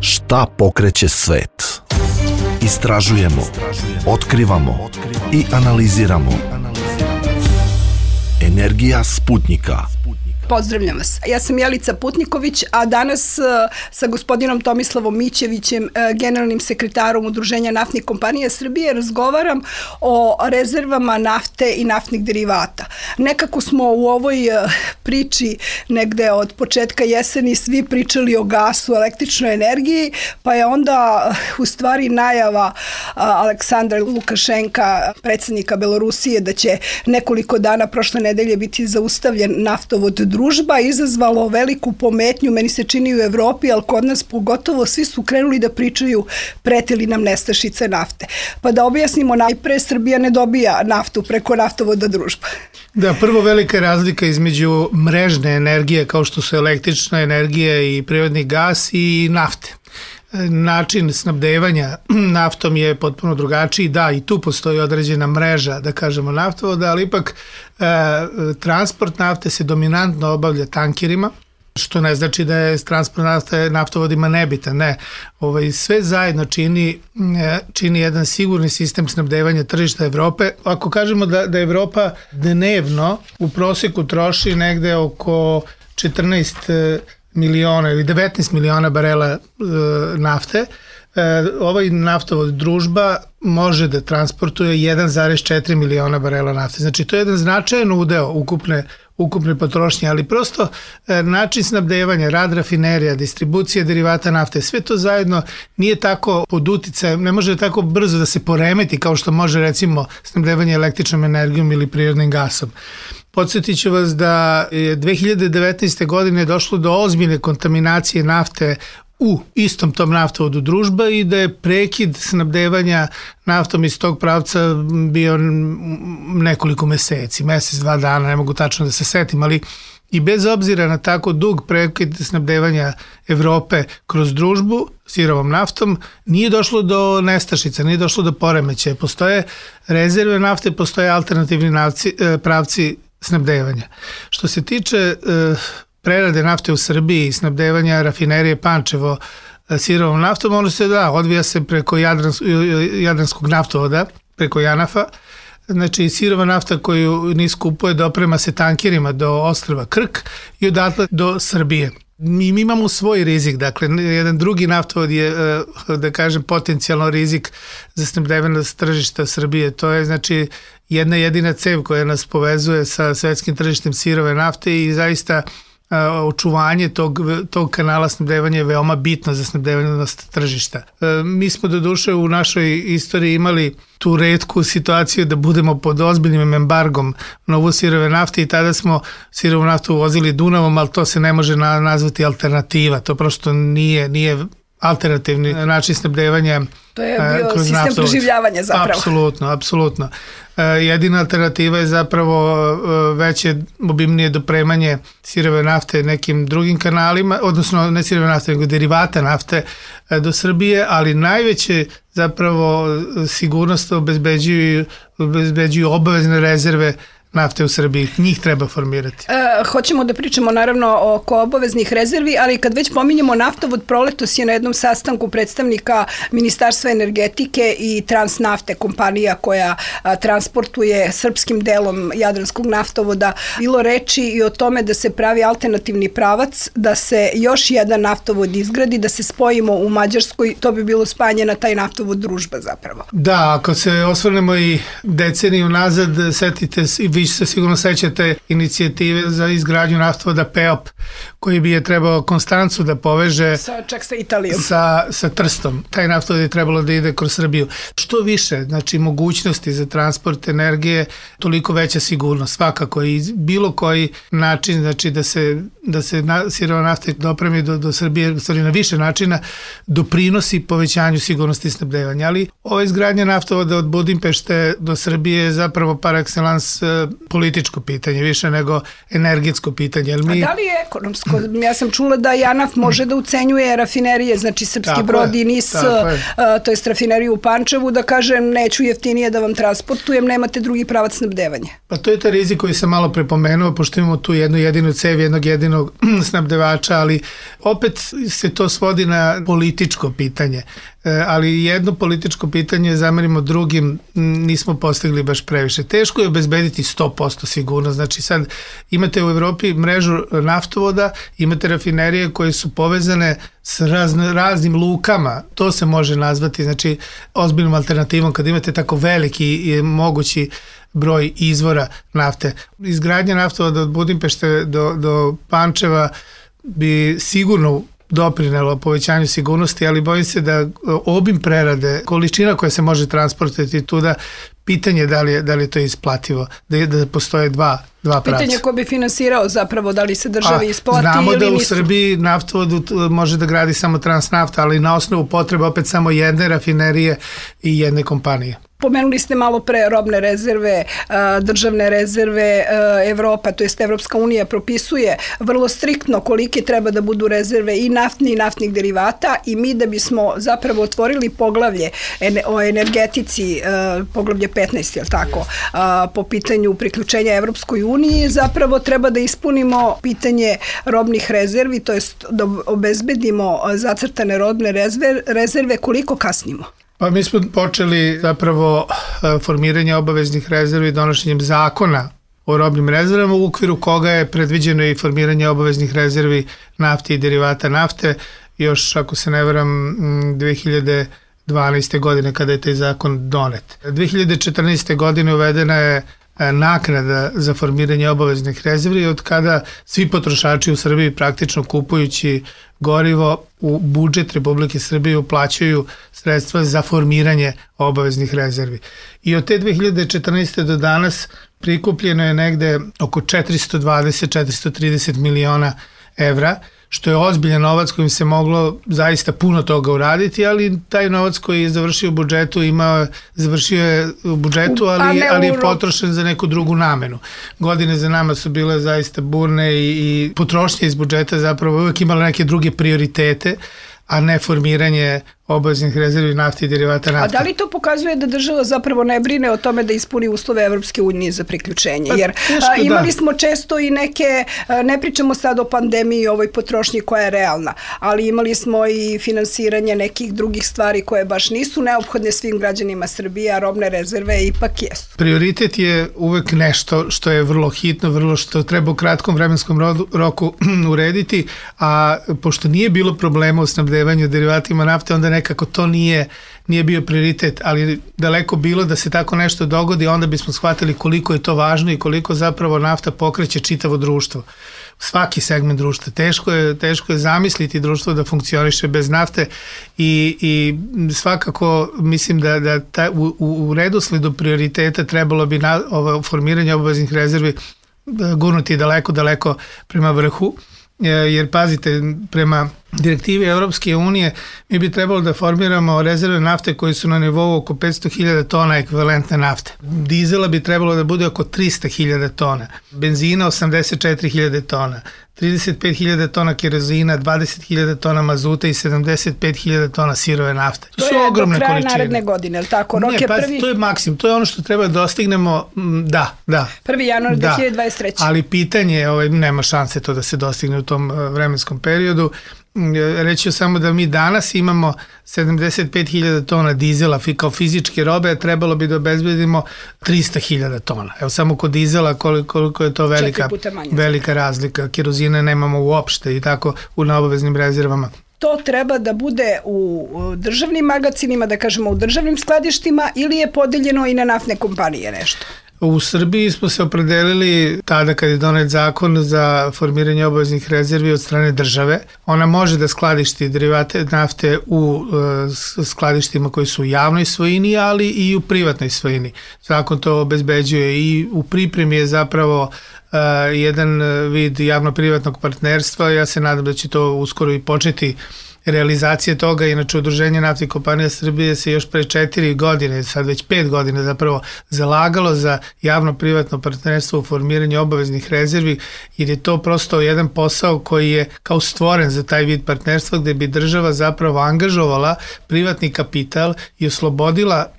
Šta pokreće svet? Istražujemo, otkrivamo i analiziramo. Energija Sputnika. Pozdravljam vas. Ja sam Jelica Putniković, a danas sa gospodinom Tomislavom Mićevićem, generalnim sekretarom Udruženja naftnih kompanija Srbije, razgovaram o rezervama nafte i naftnih derivata. Nekako smo u ovoj priči negde od početka jeseni svi pričali o gasu, električnoj energiji, pa je onda u stvari najava Aleksandra Lukašenka, predsjednika Belorusije, da će nekoliko dana prošle nedelje biti zaustavljen naftovod Družba, izazvalo veliku pometnju, meni se čini u Evropi, ali kod nas pogotovo svi su krenuli da pričaju pretili nam nestašice nafte. Pa da objasnimo, najpre Srbija ne dobija naftu preko naftovoda Družba. Da, prvo velika razlika između mrežne energije kao što su električna energija i prirodni gas i nafte. Način snabdevanja naftom je potpuno drugačiji, da, i tu postoji određena mreža, da kažemo, naftovoda, ali ipak transport nafte se dominantno obavlja tankerima, što ne znači da je transport nafte naftovodima nebitan, ne. Sve zajedno čini jedan sigurni sistem snabdevanja tržišta Evrope. Ako kažemo da Evropa dnevno u proseku troši negde oko 14 miliona ili 19 miliona barela nafte, ovaj naftovod Družba može da transportuje 1,4 miliona barela nafte. Znači, to je jedan značajan udeo ukupne potrošnje, ali prosto način snabdevanja, rad rafinerija, distribucija derivata nafte, sve to zajedno nije tako pod uticajem, ne može tako brzo da se poremeti kao što može recimo snabdevanje električnom energijom ili prirodnim gasom. Podsjetit ću vas da je 2019. godine došlo do ozbiljne kontaminacije nafte u istom tom naftovodu Družba i da je prekid snabdevanja naftom iz tog pravca bio nekoliko meseci, mesec, 2 dana, ne mogu tačno da se setim, ali i bez obzira na tako dug prekid snabdevanja Evrope kroz Družbu sirovom naftom, nije došlo do nestašica, nije došlo do poremećaja. Postoje rezerve nafte, postoje alternativni pravci snabdevanja. Što se tiče prerade nafte u Srbiji i snabdevanja rafinerije Pančevo sirovom naftom, ono se odvija se preko Jadranskog naftovoda, preko Janafa. Znači, sirova nafta koju NIS kupuje doprema se tankerima do ostrva Krk i odatle do Srbije. Mi imamo svoj rizik, dakle, jedan drugi naftovod je, da kažem, potencijalno rizik za snabdevanje tržišta Srbije. To je, znači, jedna jedina cev koja nas povezuje sa svetskim tržištem sirove nafte i zaista očuvanje tog kanala snabdevanja je veoma bitno za snabdevanost tržišta. Mi smo doduše u našoj istoriji imali tu retku situaciju da budemo pod ozbiljnim embargom na uvoz sirove nafte i tada smo sirovu naftu uvozili Dunavom, ali to se ne može nazvati alternativa. To prosto nije alternativni način snabdevanja. To je bio sistem preživljavanja zapravo. Apsolutno. Jedina alternativa je zapravo veće obimnije dopremanje sirove nafte nekim drugim kanalima, odnosno ne sirove nafte, nego derivata nafte do Srbije, ali najveće zapravo sigurnost obezbeđuju obavezne rezerve nafte u Srbiji. Njih treba formirati. Hoćemo da pričamo naravno oko obaveznih rezervi, ali kad već pominjemo naftovod, proletos je na jednom sastanku predstavnika Ministarstva energetike i Transnafte, kompanija koja transportuje srpskim delom Jadranskog naftovoda, bilo reči i o tome da se pravi alternativni pravac, da se još jedan naftovod izgradi, da se spojimo u Mađarskoj, to bi bilo spajanje na taj naftovod Družba zapravo. Da, ako se osvrnemo i deceniju nazad, setite se, vi se sigurno sećate inicijative za izgradnju naftovoda PEOP, koji bi je trebao Konstancu da poveže čak sa Italijom. Sa Trstom. Taj naftovod je trebalo da ide kroz Srbiju. Što više, znači, mogućnosti za transport energije, toliko veća sigurnost. Svakako i bilo koji način, znači da se sirova nafta dopremi do Srbije, stvari na više načina, doprinosi povećanju sigurnosti snabdevanja. Ali ova izgradnja naftovoda od Budimpešte do Srbije je zapravo par excellence političko pitanje, više nego energetsko pitanje. A da li je ekonomsko? Ja sam čula da JANAF može da ucenjuje rafinerije, znači Srpski Brod i NIS, to je rafineriju u Pančevu, da kaže neću jeftinije da vam transportujem, nemate drugi pravac snabdevanja. Pa to je taj rizik koji sam malo prepomenuo, pošto imamo tu jednu jedinu cev, jednog jedinog snabdevača, ali opet se to svodi na političko pitanje. Ali jedno političko pitanje zamerimo drugim, nismo postigli baš previše. Teško je obezbediti 100% sigurnost. Znači sad imate u Evropi mrežu naftovoda, imate rafinerije koje su povezane s raznim lukama. To se može nazvati znači ozbiljnom alternativom kad imate tako veliki i mogući broj izvora nafte. Izgradnja naftovoda od Budimpešte do Pančeva bi sigurno doprinelo povećanju sigurnosti, ali bojim se da obim prerade, količina koja se može transportovati tuda, pitanje da li je to isplativo, da postoje dva pravca. Pitanje ko bi finansirao zapravo, da li se državi isplati ili nisu. Znamo da u Srbiji naftovod može da gradi samo Transnafta, ali na osnovu potreba opet samo jedne rafinerije i jedne kompanije. Pomenuli ste malo pre robne rezerve, državne rezerve, Evropa, to jest Evropska unija propisuje vrlo striktno kolike treba da budu rezerve i naftni i naftnih derivata i mi da bismo zapravo otvorili poglavlje o energetici, poglavlje 15, je li tako, po pitanju priključenja Evropskoj uniji, zapravo treba da ispunimo pitanje robnih rezervi, to jest da obezbedimo zacrtane robne rezerve, koliko kasnimo. Pa mi smo počeli zapravo formiranje obaveznih rezervi donošenjem zakona o robnim rezervama u okviru koga je predviđeno i formiranje obaveznih rezervi nafte i derivata nafte još, ako se ne varam, 2012. godine kada je taj zakon donet. 2014. godine uvedena je naknada za formiranje obaveznih rezervi od kada svi potrošači u Srbiji praktično kupujući gorivo u budžet Republike Srbije uplaćuju sredstva za formiranje obaveznih rezervi. I od te 2014. do danas prikupljeno je negde oko 420-430 miliona evra, što je ozbiljan novac kojim se moglo zaista puno toga uraditi, ali taj novac koji je završio u budžetu završio je u budžetu, ali je potrošen za neku drugu namenu. Godine za nama su bile zaista burne i potrošnje iz budžeta zapravo uvek imala neke druge prioritete, a ne formiranje obaveznih rezervi nafte i derivata nafte. A da li to pokazuje da država zapravo ne brine o tome da ispuni uslove Evropske unije za priključenje? Jer imali smo često i neke, ne pričamo sad o pandemiji i ovoj potrošnji koja je realna, ali imali smo i finansiranje nekih drugih stvari koje baš nisu neophodne svim građanima Srbije, a robne rezerve ipak jesu. Prioritet je uvek nešto što je vrlo hitno, vrlo što treba u kratkom vremenskom roku urediti, a pošto nije bilo problema u snabdevanju derivatima nafte, onda nekako to nije bio prioritet, ali daleko bilo da se tako nešto dogodi, onda bismo shvatili koliko je to važno i koliko zapravo nafta pokreće čitavo društvo. Svaki segment društva. Teško je zamisliti društvo da funkcioniše bez nafte i svakako mislim da u redosledu prioriteta trebalo bi formiranje obaveznih rezervi gurnuti daleko prema vrhu. Jer pazite, prema direktivi Evropske unije mi bi trebalo da formiramo rezerve nafte koji su na nivou oko 500.000 tona ekvivalentne nafte. Dizela bi trebalo da bude oko 300.000 tona, benzina 84.000 tona, 35.000 tona kerozina, 20.000 tona mazuta i 75.000 tona sirove nafte. To su ogromne količine. To je do kraja naredne godine, ili tako? To je maksimum, to je ono što treba da dostignemo, da. 1. januar 2023. Ali pitanje, nema šanse to da se dostigne u tom vremenskom periodu. Reći samo da mi danas imamo 75.000 tona dizela kao fizičke robe, a trebalo bi da obezbedimo 300.000 tona. Evo samo kod dizela koliko je to velika razlika. Kerozine nemamo uopšte i tako na obaveznim rezervama. To treba da bude u državnim magacinima, da kažemo u državnim skladištima, ili je podeljeno i na naftne kompanije nešto? U Srbiji smo se opredelili tada kad je donet zakon za formiranje obaveznih rezervi od strane države. Ona može da skladišti derivate nafte u skladištima koji su u javnoj svojini, ali i u privatnoj svojini. Zakon to obezbeđuje i u pripremi je zapravo jedan vid javno-privatnog partnerstva. Ja se nadam da će to uskoro i početi realizacije toga. Inače, Udruženje naftnih kompanija Srbije se još pre 4 godine, sad već 5 godina zapravo, zalagalo za javno-privatno partnerstvo u formiranju obaveznih rezervi, jer je to prosto jedan posao koji je kao stvoren za taj vid partnerstva, gde bi država zapravo angažovala privatni kapital i oslobodila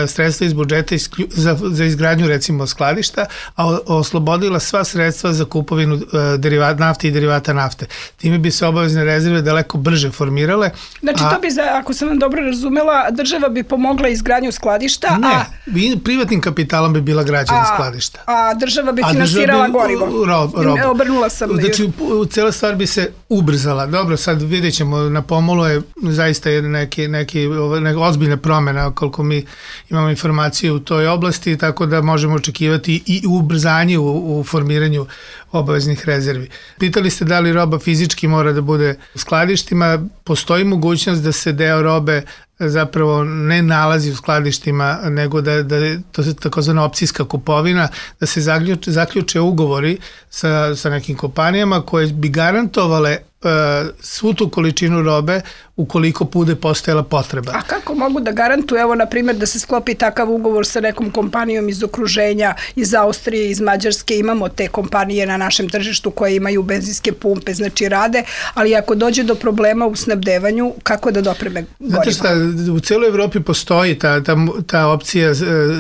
sredstva iz budžeta za izgradnju recimo skladišta, a oslobodila sva sredstva za kupovinu nafte i derivata nafte. Time bi se obavezne rezerve daleko brže formirale. Znači to bi, ako sam vam dobro razumela, država bi pomogla izgradnju skladišta, privatnim kapitalom bi bila građena skladišta. A država bi finansirala gorivo. Obrnula sam. Znači, cijela stvar bi se ubrzala. Dobro, sad vidjet ćemo, na pomolu je zaista neke ozbiljne promjene, koliko mi imamo informacije u toj oblasti, tako da možemo očekivati i ubrzanje u formiranju obaveznih rezervi. Pitali ste da li roba fizički mora da bude u skladištima. Postoji mogućnost da se deo robe zapravo ne nalazi u skladištima, nego da to je takozvana opcijska kupovina, da se zaključe ugovori sa nekim kompanijama koje bi garantovale svu tu količinu robe ukoliko bude postojala potreba. A kako mogu da garantuju, evo na primjer da se sklopi takav ugovor sa nekom kompanijom iz okruženja, iz Austrije, iz Mađarske, imamo te kompanije na našem tržištu koje imaju benzinske pumpe, znači rade, ali ako dođe do problema u snabdevanju, kako da dopreme gorivo? Znate šta, u cijeloj Evropi postoji ta opcija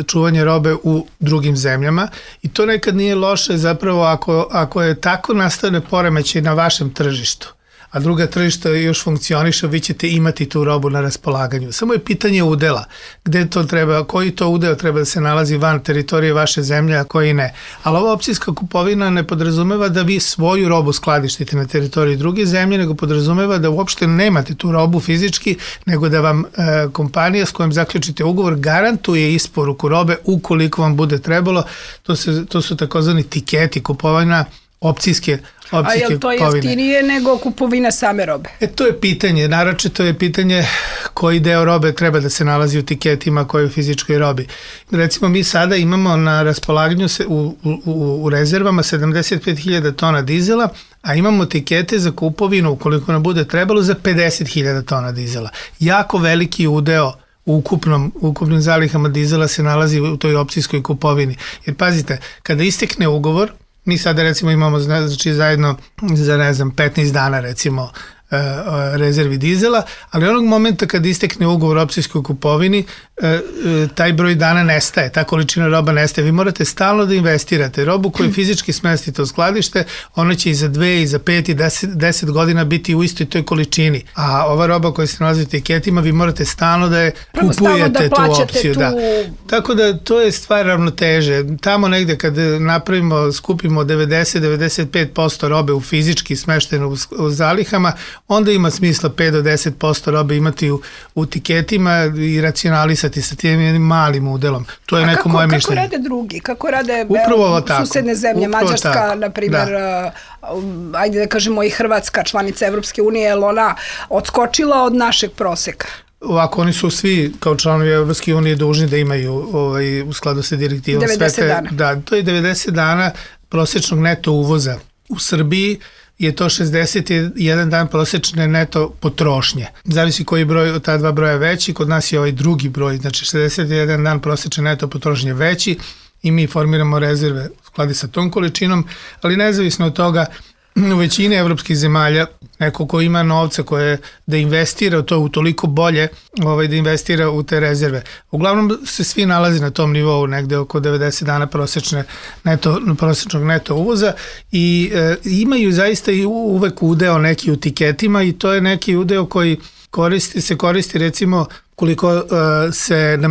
čuvanja robe u drugim zemljama i to nekad nije loše zapravo ako je tako nastane poremećaj na vašem tržištu, a druga tržišta još funkcioniše, vi ćete imati tu robu na raspolaganju. Samo je pitanje udela, gde to treba, koji to udeo treba da se nalazi van teritorije vaše zemlje, a koji ne. Ali ova opcijska kupovina ne podrazumeva da vi svoju robu skladištite na teritoriji druge zemlje, nego podrazumeva da uopšte nemate tu robu fizički, nego da vam kompanija s kojom zaključite ugovor garantuje isporuku robe ukoliko vam bude trebalo. To su takozvani tiketi kupovina, opcijske A je li to jeftinije nego kupovina same robe? To je pitanje, naročito je pitanje koji deo robe treba da se nalazi u tiketima koje u fizičkoj robi. Recimo mi sada imamo na raspolaganju u rezervama 75.000 tona dizela, a imamo tikete za kupovinu ukoliko nam bude trebalo za 50.000 tona dizela. Jako veliki udeo u ukupnim zalihama dizela se nalazi u toj opcijskoj kupovini. Jer pazite, kada istekne ugovor, mi sada recimo imamo znači zajedno za 15 dana recimo rezervi dizela, ali onog momenta kad istekne ugovor o opcijskoj kupovini, taj broj dana nestaje, ta količina roba nestaje. Vi morate stalno da investirate. Robu koju fizički smestite u skladište, ona će i za 2, i za 5, i 10 godina biti u istoj toj količini. A ova roba koja se nalazi u etiketima, vi morate stalno da je kupujete tu opciju. Da. Tako da to je stvar ravnoteže. Tamo negde kad skupimo 90-95% robe u fizički smeštenu u zalihama, onda ima smisla 5 do 10% robe imati u tiketima i racionalisati sa tim jednim malim udelom. To je neko moje mišljenje. Kako rade drugi? Kako rade susedne zemlje? Mađarska, na primjer, ajde da kažemo i Hrvatska, članica Evropske unije, je li ona odskočila od našeg proseka? Ovako, oni su svi kao članovi Evropske unije dužni da imaju u skladu sa direktivom 90 dana. Da, to je 90 dana prosečnog neto uvoza. U Srbiji je to 61 dan prosečne neto potrošnje. Zavisi koji broj od ta dva broja veći, kod nas je ovaj drugi broj, znači 61 dan prosečne neto potrošnje veći i mi formiramo rezerve u skladu sa tom količinom, ali nezavisno od toga, u većini evropskih zemalja neko ko ima novca koje da investira, to je toliko bolje da investira u te rezerve. Uglavnom se svi nalazi na tom nivou negde oko 90 dana prosečnog neto uvoza i imaju zaista i uvek udeo neki u tiketima i to je neki udeo koji se koristi recimo koliko se na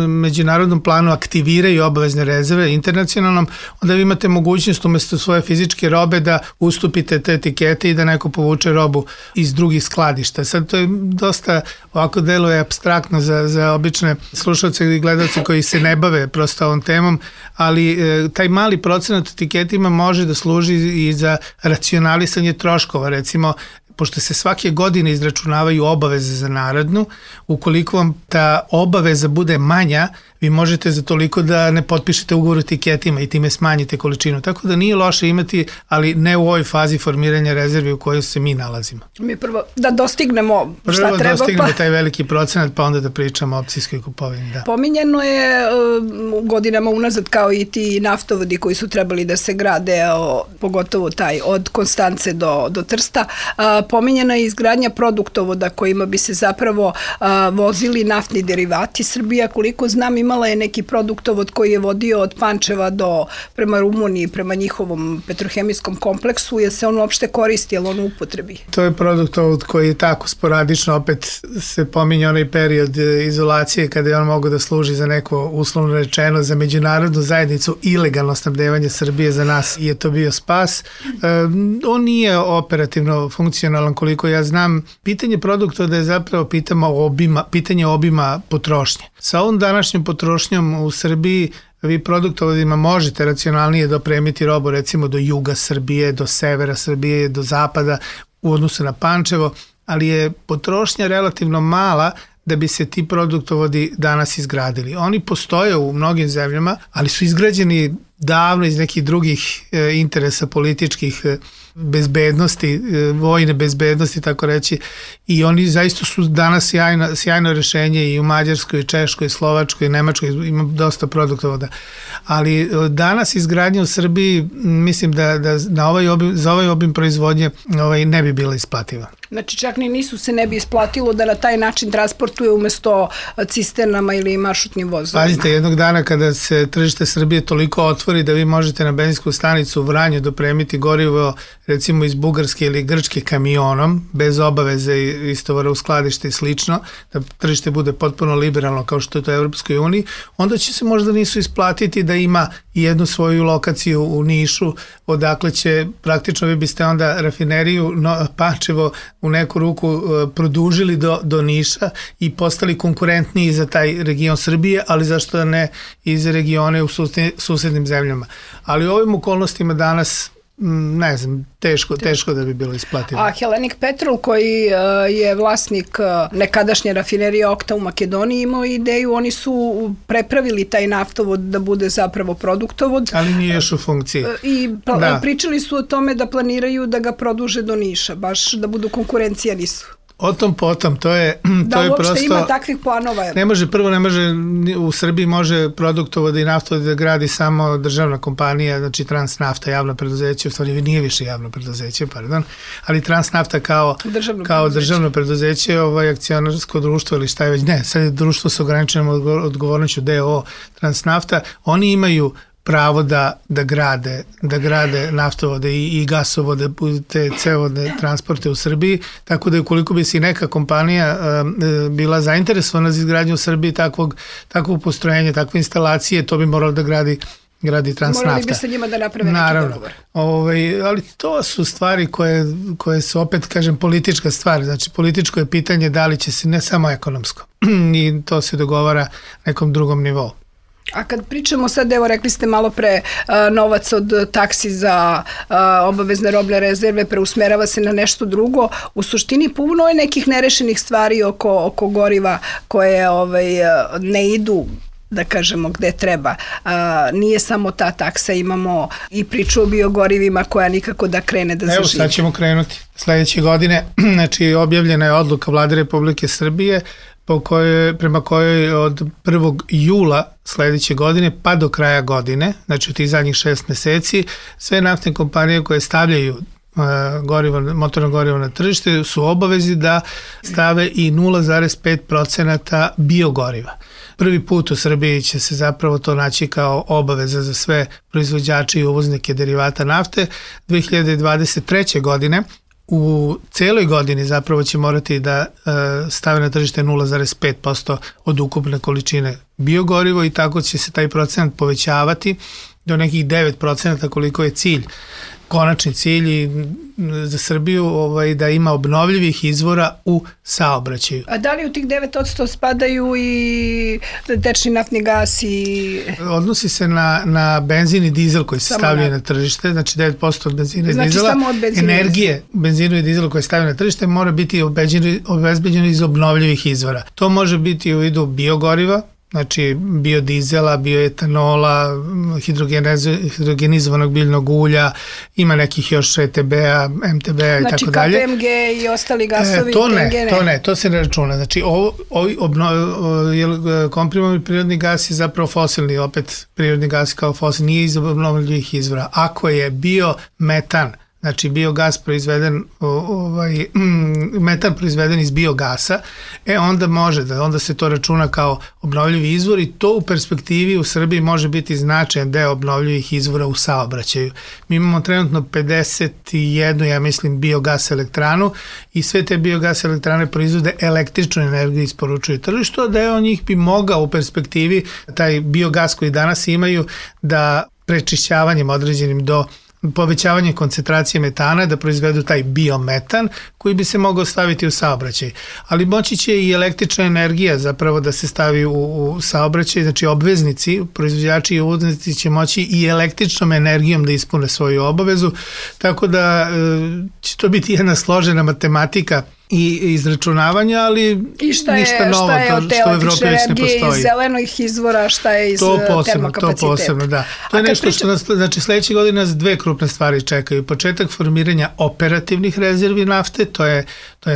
međunarodnom planu aktiviraju obavezne rezerve internacionalnom, onda vi imate mogućnost umesto svoje fizičke robe da ustupite te etikete i da neko povuče robu iz drugih skladišta. Sad to je dosta ovako deluje apstraktno za obične slušalce i gledalce koji se ne bave prosto ovom temom, ali taj mali procenat etiketima može da služi i za racionalisanje troškova. Recimo, pošto se svake godine izračunavaju obaveze za narednu, ukoliko vam ta obaveza bude manja, vi možete za toliko da ne potpišete ugovor o etiketima i time smanjite količinu. Tako da nije loše imati, ali ne u ovoj fazi formiranja rezervi u kojoj se mi nalazimo. Mi prvo da dostignemo šta treba. Prvo dostignemo taj veliki procenat, pa onda da pričamo o opcijskoj kupovini. Da. Pominjeno je u godinama unazad kao i ti naftovodi koji su trebali da se grade, pogotovo taj od Konstance do Trsta. Pominjena je izgradnja produktovoda kojima bi se zapravo vozili naftni derivati. Srbija, koliko znam, imala je neki produktovod koji je vodio od Pančeva prema Rumuniji, prema njihovom petrohemijskom kompleksu. Je se on uopšte koristi, je li on u upotrebi? To je produktovod koji je tako sporadično, opet se pominje onaj period izolacije kada je on mogao da služi za neko, uslovno rečeno, za međunarodnu zajednicu, ilegalno snabdevanje Srbije. Za nas je to bio spas. On nije operativno funkcionalan, koliko ja znam. Pitanje produktovoda je zapravo pitanje obima potrošnje. Sa ovom današnjom potrošnjom u Srbiji vi produktovodima možete racionalnije dopremiti robu recimo do juga Srbije, do severa Srbije, do zapada u odnosu na Pančevo, ali je potrošnja relativno mala da bi se ti produktovodi danas izgradili. Oni postoje u mnogim zemljama, ali su izgrađeni davno iz nekih drugih interesa političkih, bezbednosti, vojne bezbednosti, tako reći, i oni zaista su danas sjajno rešenje i u Mađarskoj, Češkoj, Slovačkoj, Nemačkoj, ima dosta produktovoda. Ali danas izgradnja u Srbiji, mislim da za ovaj obim proizvodnje ne bi bila isplativa. Znači čak se ne bi isplatilo da na taj način transportuje umesto cisternama ili maršrutnim vozovima. Pazite, jednog dana kada se tržište Srbije toliko otvori da vi možete na benzinsku stanicu u Vranju dopremiti gorivo recimo iz Bugarske ili Grčke kamionom, bez obaveze istovara u skladište i slično, da tržište bude potpuno liberalno kao što je to u Evropskoj uniji, onda će se možda nisu isplatiti da ima jednu svoju lokaciju u Nišu, odakle će praktično vi biste onda rafineriju Pančevo u neku ruku produžili do Niša i postali konkurentniji za taj region Srbije, ali zašto ne i za regione u susednim zemljama. Ali u ovim okolnostima danas ne znam, teško da bi bilo isplativo. A Hellenic Petrol koji je vlasnik nekadašnje rafinerije Okta u Makedoniji imao ideju, oni su prepravili taj naftovod da bude zapravo produktovod. Ali nije još u funkciji. I pričali su o tome da planiraju da ga produže do Niša, baš da budu konkurencija nisu. O tom potom, to je uopšte prosto, ima takvih planova. Ne može, u Srbiji može produktovod i naftovod da gradi samo državna kompanija, znači Transnafta, javno preduzeće, u stvari nije više javno preduzeće, ali Transnafta kao državno preduzeće, akcionarsko društvo ili šta je već, ne, sad je društvo sa ograničenom odgovornošću DO Transnafta, oni imaju pravo da grade naftovode i gasovode, te cevodne transporte u Srbiji, tako da ukoliko bi se neka kompanija bila zainteresovana za izgradnju u Srbiji takvog postrojenja, takve instalacije, to bi moralo da gradi Transnafta. Morali bi sa njima da naprave neki dogovor. Ali to su stvari koje su opet, kažem, politička stvar. Znači, političko je pitanje da li će se, ne samo ekonomsko, i to se dogovara nekom drugom nivou. A kad pričamo sad, evo rekli ste malo pre, novac od taksi za obavezne robne rezerve preusmerava se na nešto drugo, u suštini puno je nekih nerešenih stvari oko goriva koje ne idu, da kažemo, gde treba. Nije samo ta taksa, imamo i priču o biogorivima koja nikako da krene da zaživi. Evo sad ćemo krenuti. Sledeće godine, znači objavljena je odluka Vlade Republike Srbije prema kojoj od 1. jula sledeće godine pa do kraja godine, znači u tih zadnjih 6 meseci, sve naftne kompanije koje stavljaju motorno gorivo na tržište su obavezi da stave i 0,5% biogoriva. Prvi put u Srbiji će se zapravo to naći kao obaveza za sve proizvođače i uvoznike derivata nafte. 2023. godine u celoj godini zapravo će morati da stave na tržište 0,5% od ukupne količine biogorivo i tako će se taj procenat povećavati do nekih 9% koliko je cilj konačni cilj za Srbiju da ima obnovljivih izvora u saobraćaju. A da li u tih 9% spadaju i tečni naftni gas i... Odnosi se na benzin i dizel koji se stavljaju na tržište, znači 9% od benzina i dizela. Znači samo od benzina. Energije benzinu i dizelu koje stavljaju na tržište mora biti obezbeđeno iz obnovljivih izvora. To može biti u vidu biogoriva, znači biodizela, bioetanola, hidrogenizovanog biljnog ulja, ima nekih još ETB-a, MTB-a i tako dalje. Znači KPMG i ostali gasovi? To se ne računa. Znači komprimovani prirodni gas je zapravo fosilni, opet prirodni gas kao fosilni, nije iz obnovljivih izvora. Ako je biometan, znači biogas proizveden, metan proizveden iz biogasa, onda onda se to računa kao obnovljivi izvor i to u perspektivi u Srbiji može biti značajan deo obnovljivih izvora u saobraćaju. Mi imamo trenutno 51, ja mislim, biogas elektranu i sve te biogas elektrane proizvode električnu energiju i isporučuju tržištu, a deo njih bi mogao u perspektivi taj biogas koji danas imaju da prečišćavanjem određenim do povećavanje koncentracije metana da proizvedu taj biometan koji bi se mogao staviti u saobraćaj. Ali moći će i električna energija zapravo da se stavi u saobraćaj, znači obveznici, proizvođači i uvoznici će moći i električnom energijom da ispune svoju obavezu, tako da će to biti jedna složena matematika i izračunavanja, ali ništa novo, što u Evropi već ne postoji. Iz zelenih izvora, šta je iz termokapaciteta? To posebno, da. To je nešto što nas, znači sledeće godine nas dve krupne stvari čekaju. Početak formiranja operativnih rezervi nafte, to je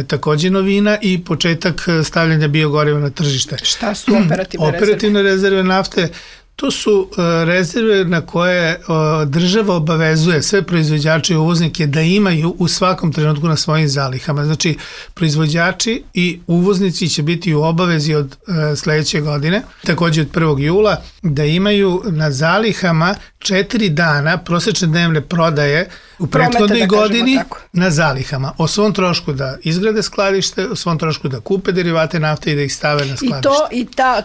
takođe novina, i početak stavljanja biogoriva na tržište. Šta su operativne rezerve? Operativne rezerve nafte, to su rezerve na koje država obavezuje sve proizvođače i uvoznike da imaju u svakom trenutku na svojim zalihama. Znači, proizvođači i uvoznici će biti u obavezi od sledeće godine, takođe od 1. jula, da imaju na zalihama 4 dana prosečne dnevne prodaje u prethodnoj godini na zalihama. O svom trošku da izgrade skladište, o svom trošku da kupe derivate nafte i da ih stave na skladište.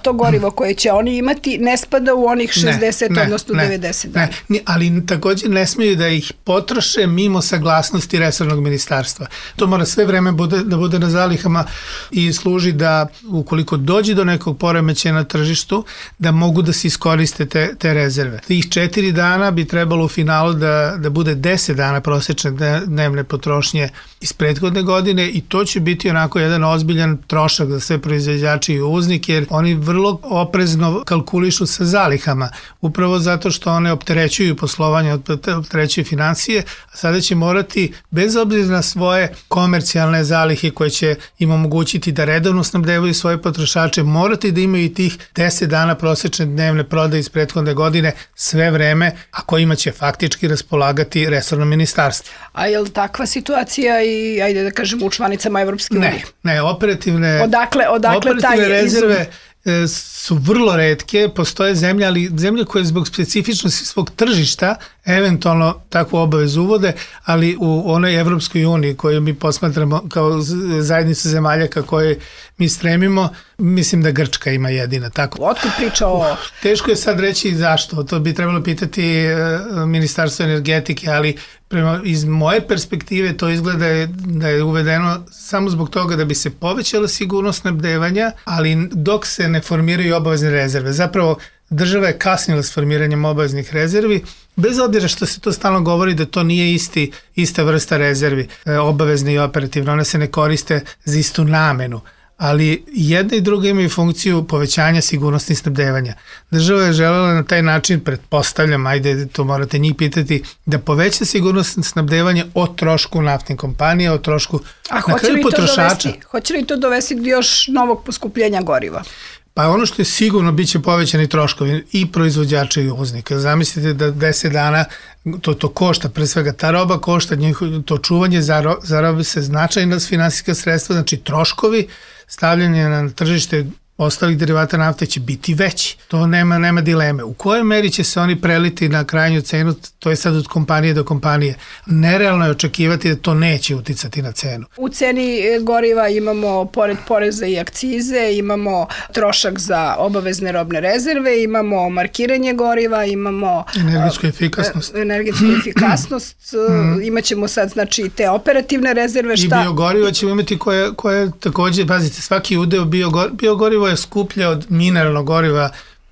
To gorivo koje će oni imati ne spada u onih 60, odnosno 90 dana. Ne, ali takođe ne smeju da ih potroše mimo saglasnosti resornog ministarstva. To mora sve vreme da bude na zalihama i služi da, ukoliko dođe do nekog poremećaja na tržištu, da mogu da se iskoriste te rezerve. Tih 4 dana bi trebalo u finalu da bude 10 dana prosečne dnevne potrošnje iz prethodne godine i to će biti onako jedan ozbiljan trošak za sve proizvođače i uvoznike, jer oni vrlo oprezno kalkulišu sa zalihama, upravo zato što one opterećuju poslovanje, opterećuju financije, a sada će morati, bez obzira na svoje komercijalne zalihe koje će im omogućiti da redovno snabdevaju svoje potrošače, morati da imaju i tih 10 dana prosečne dnevne prodaje iz prethodne godine sve vreme, a kojima će faktički raspolagati resorno ministarstvo. A je li takva situacija i, ajde da kažem, u članicama Evropske unije? Ne, operativne rezerve su vrlo retke, postoje zemlje, ali zemlje koje zbog specifičnosti svog tržišta eventualno takvu obavezu uvode, ali u onoj Evropskoj uniji koju mi posmatramo kao zajednicu zemalja ka kojoj mi stremimo, mislim da Grčka ima jedina. Otkud priča o... Teško je sad reći zašto, to bi trebalo pitati Ministarstvo energetike, ali iz moje perspektive to izgleda da je uvedeno samo zbog toga da bi se povećala sigurnost snabdevanja, ali dok se ne formiraju obavezne rezerve. Zapravo, država je kasnila s formiranjem obaveznih rezervi, bez obzira što se to stalno govori da to nije ista vrsta rezervi, obavezne i operativne, one se ne koriste za istu namenu, ali jedna i druga imaju funkciju povećanja sigurnosti snabdevanja. Država je želela na taj način, pretpostavljam, ajde to morate njih pitati, da poveća sigurnost snabdevanja o trošku naftnih kompanija, o trošku na kraju potrošača. Hoće li to dovesti do još novog poskupljenja goriva? Pa ono što je sigurno, bit će povećani troškovi i proizvođača i uvoznika. Zamislite da 10 dana to košta, pre svega ta roba košta, to čuvanje zarobi se značajna finansijska sredstva, znači troškovi stavljanje na tržište ostalih derivata nafte će biti veći. To nema dileme. U kojoj meri će se oni preliti na krajnju cenu, to je sad od kompanije do kompanije. Nerealno je očekivati da to neće uticati na cenu. U ceni goriva imamo, pored poreza i akcize, imamo trošak za obavezne robne rezerve, imamo markiranje goriva, imamo energetsku efikasnost, imaćemo sad znači te operativne rezerve. I biogorivo ćemo imati koje takođe, pazite, svaki udeo biogorivo je skuplje od mineralnog goriva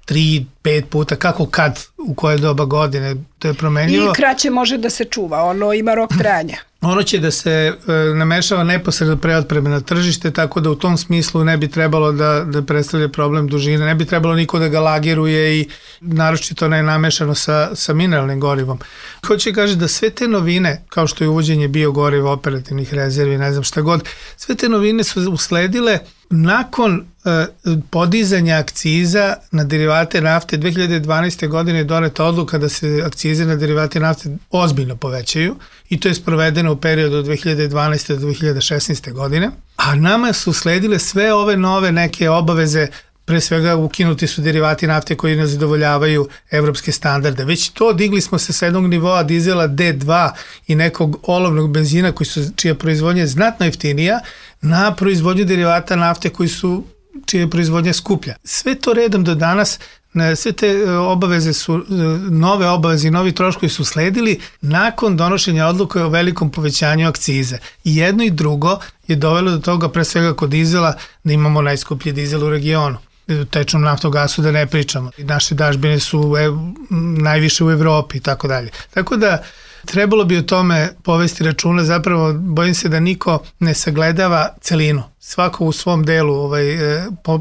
3-5 puta, kako kad, u koje doba godine, to je promenljivo. I kraće može da se čuva, ono ima rok trajanja. Ono će da se namešava neposredno pre otpreme na tržište, tako da u tom smislu ne bi trebalo da predstavlja problem dužine, ne bi trebalo niko da ga lagiruje i naročito ne namešano sa mineralnim gorivom. Hoće kaže da sve te novine, kao što je uvođenje biogoriva, operativnih rezervi, ne znam šta god, sve te novine su usledile nakon podizanja akciza na derivate nafte. 2012. godine je doneta odluka da se akcize na derivate nafte ozbiljno povećaju i to je sprovedeno u periodu od 2012. do 2016. godine, a nama su sledile sve ove nove neke obaveze. Pre svega ukinuti su derivati nafte koji ne zadovoljavaju evropske standarde. Već to digli smo se sa jednog nivoa dizela D2 i nekog olovnog benzina čija proizvodnja je znatno jeftinija na proizvodnju derivata nafte čija je proizvodnja skuplja. Sve to redom do danas, sve te obaveze su, nove obaveze i novi troškovi su sledili nakon donošenja odluke o velikom povećanju akcize. I jedno i drugo je dovelo do toga, pre svega kod dizela, da imamo najskuplji dizel u regionu. Tečnom naftogasu da ne pričamo. Naše dažbine su najviše u Evropi i tako dalje. Tako da trebalo bi o tome povesti računa, zapravo bojim se da niko ne sagledava celinu. Svako u svom delu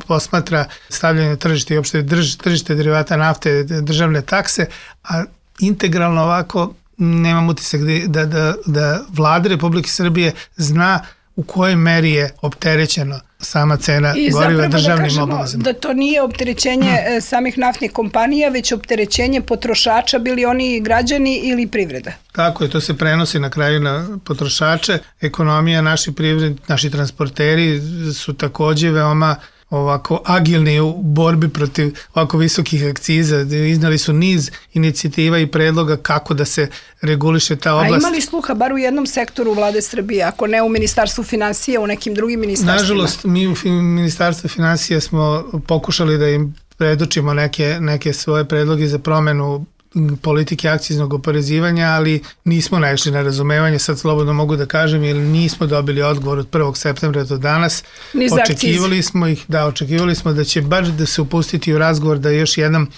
posmatra stavljanje na tržište i uopšte tržište derivata nafte, državne takse, a integralno ovako nemam utisak da vlada Republike Srbije zna u kojoj meri je opterećeno sama cena goriva državnim obavezama. Da to nije opterećenje samih naftnih kompanija, već opterećenje potrošača, bili oni građani ili privreda. Tako je, to se prenosi na kraju na potrošače. Ekonomija, naši transporteri su takođe veoma ovako agilni u borbi protiv ovako visokih akciza. Iznali su niz inicijativa i predloga kako da se reguliše ta oblast. A imali sluha bar u jednom sektoru vlade Srbije, ako ne u Ministarstvu finansija, u nekim drugim ministarstvima? Nažalost, mi u Ministarstvu finansija smo pokušali da im predočimo neke svoje predloge za promenu politike akciznog oporezivanja, ali nismo naišli na razumevanje, sad slobodno mogu da kažem, jer nismo dobili odgovor od 1. septembra do danas. Očekivali smo da će baš da se upustiti u razgovor da još jednom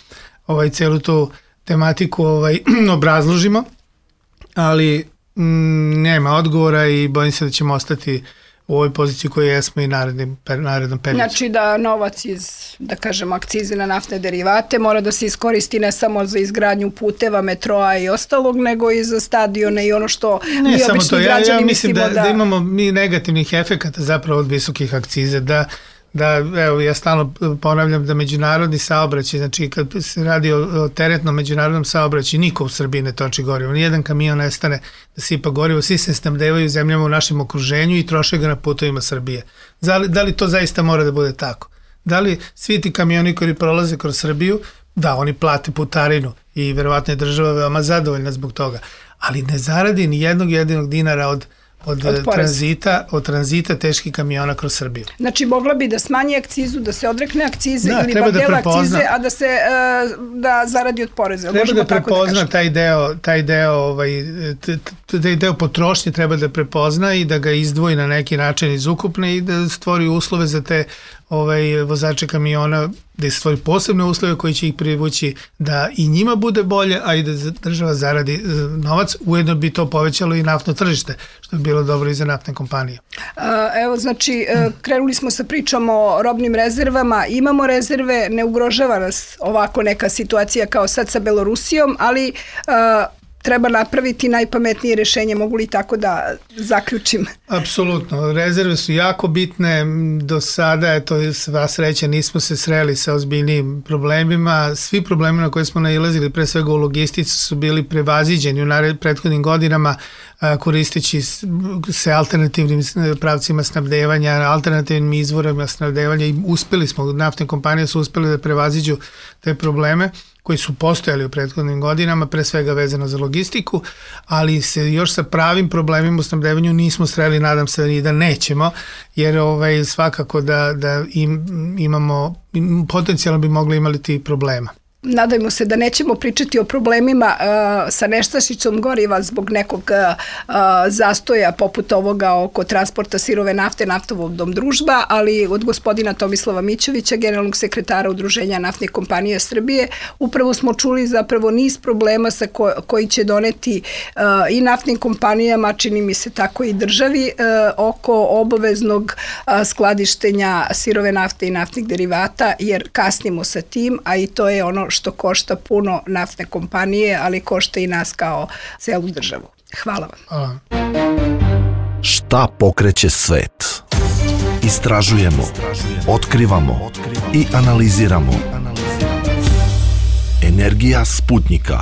celu tu tematiku obrazložimo, ali nema odgovora i bojim se da ćemo ostati u ovoj poziciji koju jesmo i narednom periodu. Znači da novac iz, da kažemo, akcize na naftne derivate mora da se iskoristi ne samo za izgradnju puteva, metroa i ostalog, nego i za stadione i ono što mi obični građani mislimo da... Da imamo mi negativnih efekata zapravo od visokih akcize, evo, ja stalno ponavljam da međunarodni saobraćaj, znači kad se radi o teretnom međunarodnom saobraćaju, niko u Srbiji ne toči gorivo, nijedan kamion ne stane da sipa gorivo, svi se snabdevaju zemljama u našem okruženju i troše ga na putovima Srbije. Da li to zaista mora da bude tako? Da li svi ti kamioni koji prolaze kroz Srbiju, da, oni plate putarinu i verovatno je država veoma zadovoljna zbog toga, ali ne zaradi ni jednog jedinog dinara od tranzita teških kamiona kroz Srbiju. Znači, mogla bi da smanji akcizu, da se odrekne akcize ili bar dela akcize, a da zaradi od poreza. Treba da prepozna taj deo potrošnje treba da prepozna i da ga izdvoji na neki način iz ukupne i da stvori uslove za te vozače kamiona, da stvori posebne uslove koji će ih privući da i njima bude bolje, a i da država zaradi novac. Ujedno bi to povećalo i naftno tržište, što je bilo dobro i za naftne kompanije. Evo, znači, krenuli smo sa pričom o robnim rezervama, imamo rezerve, ne ugrožava nas ovako neka situacija kao sad sa Belorusijom, ali treba napraviti najpametnije rešenje, mogu li tako da zaključim? Apsolutno, rezerve su jako bitne, do sada, eto, sva sreća, nismo se sreli sa ozbiljnim problemima, svi problemi na koje smo nailazili, pre svega u logistici, su bili prevaziđeni u prethodnim godinama, koristeći se alternativnim pravcima snabdevanja, alternativnim izvorima snabdevanja i uspeli smo, naftne kompanije su uspeli da prevaziđu te probleme koji su postojali u prethodnim godinama, pre svega vezano za logistiku, ali se još sa pravim problemima u snabdevanju nismo sreli, nadam se i da nećemo, jer svakako da imamo, potencijalno bi mogli imati problema. Nadajmo se da nećemo pričati o problemima sa nestašicom goriva zbog nekog zastoja poput ovoga oko transporta sirove nafte Naftovodom družba, ali od gospodina Tomislava Mićevića, generalnog sekretara Udruženja naftnih kompanija Srbije, upravo smo čuli zapravo niz problema koji će doneti i naftnim kompanijama, čini mi se tako i državi, oko obaveznog skladištenja sirove nafte i naftnih derivata, jer kasnimo sa tim, a i to je ono što košta puno naftne kompanije, ali košta i nas kao celu državu. Hvala vam. Šta pokreće svet? Istražujemo, otkrivamo i analiziramo. Energija Sputnika.